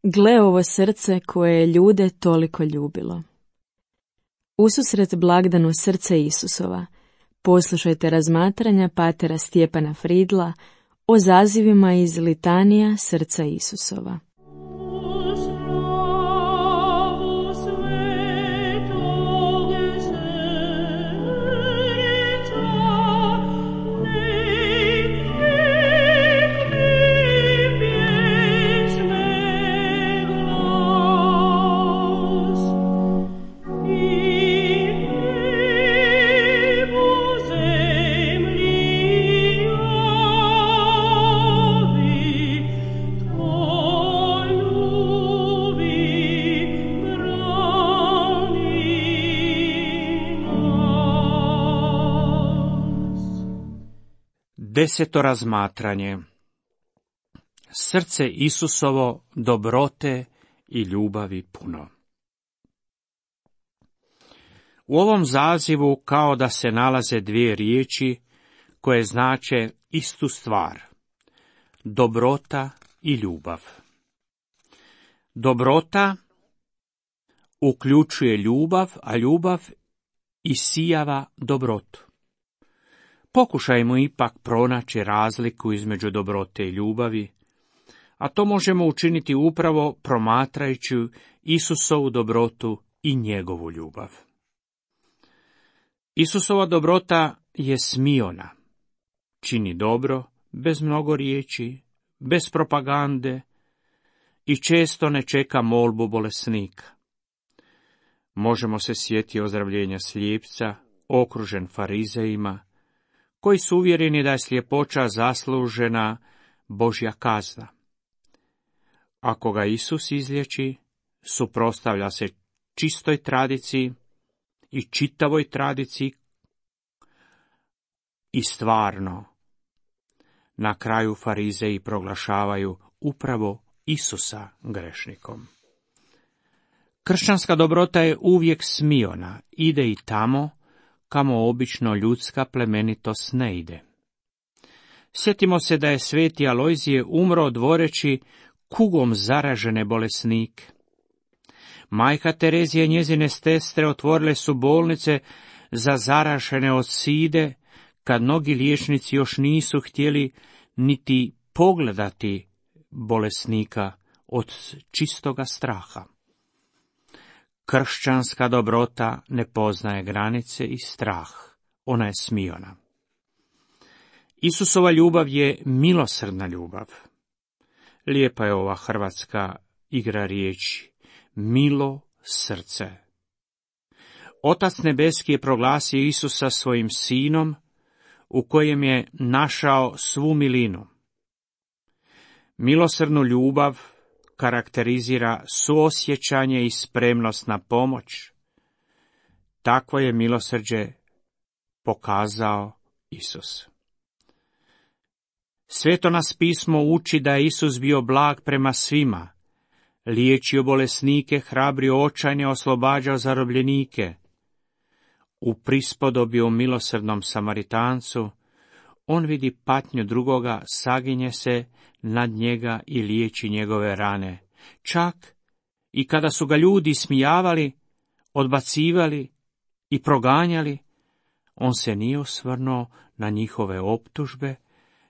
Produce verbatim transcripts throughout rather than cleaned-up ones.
Gle ovo srce koje je ljude toliko ljubilo. Ususret blagdanu srce Isusova, poslušajte razmatranja patera Stjepana Fridla o zazivima iz litanija srca Isusova. Deseto razmatranje. Srce Isusovo dobrote i ljubavi puno. U ovom zazivu kao da se nalaze dvije riječi koje znače istu stvar. Dobrota i ljubav. Dobrota uključuje ljubav, a ljubav isijava dobrotu. Pokušajmo ipak pronaći razliku između dobrote i ljubavi, a to možemo učiniti upravo promatrajući Isusovu dobrotu i njegovu ljubav. Isusova dobrota je smiona, čini dobro, bez mnogo riječi, bez propagande i često ne čeka molbu bolesnika. Možemo se sjetiti ozdravljenja slijepca, okružen farizejima, koji su uvjereni da je sljepoća zaslužena Božja kazna. Ako ga Isus izliječi, suprotstavlja se čistoj tradiciji i čitavoj tradiciji i stvarno. Na kraju farizeji proglašavaju upravo Isusa grešnikom. Kršćanska dobrota je uvijek smiona, ide i tamo kamo obično ljudska plemenitost ne ide. Sjetimo se da je sveti Alojzije umro dvoreći kugom zaražene bolesnike. Majka Terezija i njezine sestre otvorile su bolnice za zaražene od side, kad mnogi liječnici još nisu htjeli niti pogledati bolesnika od čistoga straha. Kršćanska dobrota ne poznaje granice i strah, ona je smiona. Isusova ljubav je milosrdna ljubav. Lijepa je ova hrvatska igra riječi, milo srce. Otac nebeski je proglasio Isusa svojim sinom, u kojem je našao svu milinu. Milosrdnu ljubav karakterizira suosjećanje i spremnost na pomoć. Takvo je milosrđe pokazao Isus. Sveto nas pismo uči da je Isus bio blag prema svima, liječio bolesnike, hrabrio očajne, oslobađao zarobljenike. U prispodobi o milosrdnom Samaritancu, on vidi patnju drugoga, saginje se nad njega i liječi njegove rane. Čak i kada su ga ljudi smijavali, odbacivali i proganjali, on se nije osvrnuo na njihove optužbe,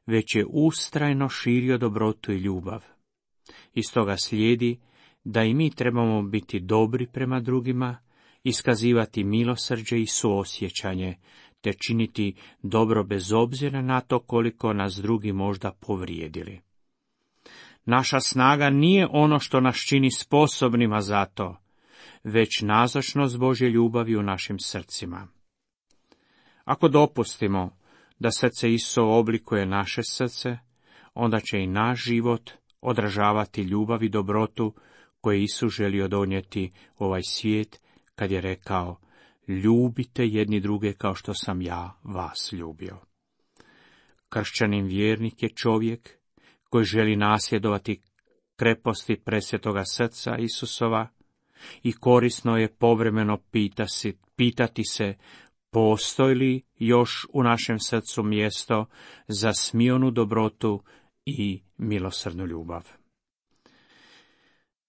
već je ustrajno širio dobrotu i ljubav. Iz toga slijedi da i mi trebamo biti dobri prema drugima, iskazivati milosrđe i suosjećanje, te činiti dobro bez obzira na to koliko nas drugi možda povrijedili. Naša snaga nije ono što nas čini sposobnima za to, već nazočnost Božje ljubavi u našim srcima. Ako dopustimo da srce Isusovo oblikuje naše srce, onda će i naš život odražavati ljubav i dobrotu koje Isus želio donijeti u ovaj svijet, kad je rekao, ljubite jedni druge kao što sam ja vas ljubio. Kršćanin vjernik je čovjek koji želi nasljedovati kreposti presvetoga srca Isusova i korisno je povremeno pitati, pitati se postoji li još u našem srcu mjesto za smionu dobrotu i milosrdnu ljubav.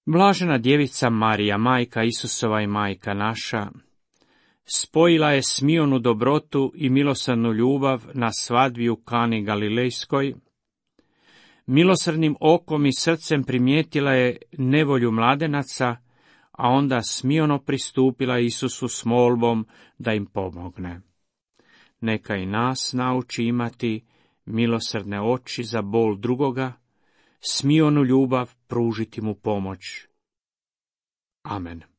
Blažena djevica Marija, majka Isusova i majka naša, spojila je smionu dobrotu i milosrdnu ljubav na svadbi u Kani Galilejskoj. Milosrdnim okom i srcem primijetila je nevolju mladenaca, a onda smiono pristupila Isusu s molbom da im pomogne. Neka i nas nauči imati milosrdne oči za bol drugoga, smionu ljubav pružiti mu pomoć. Amen.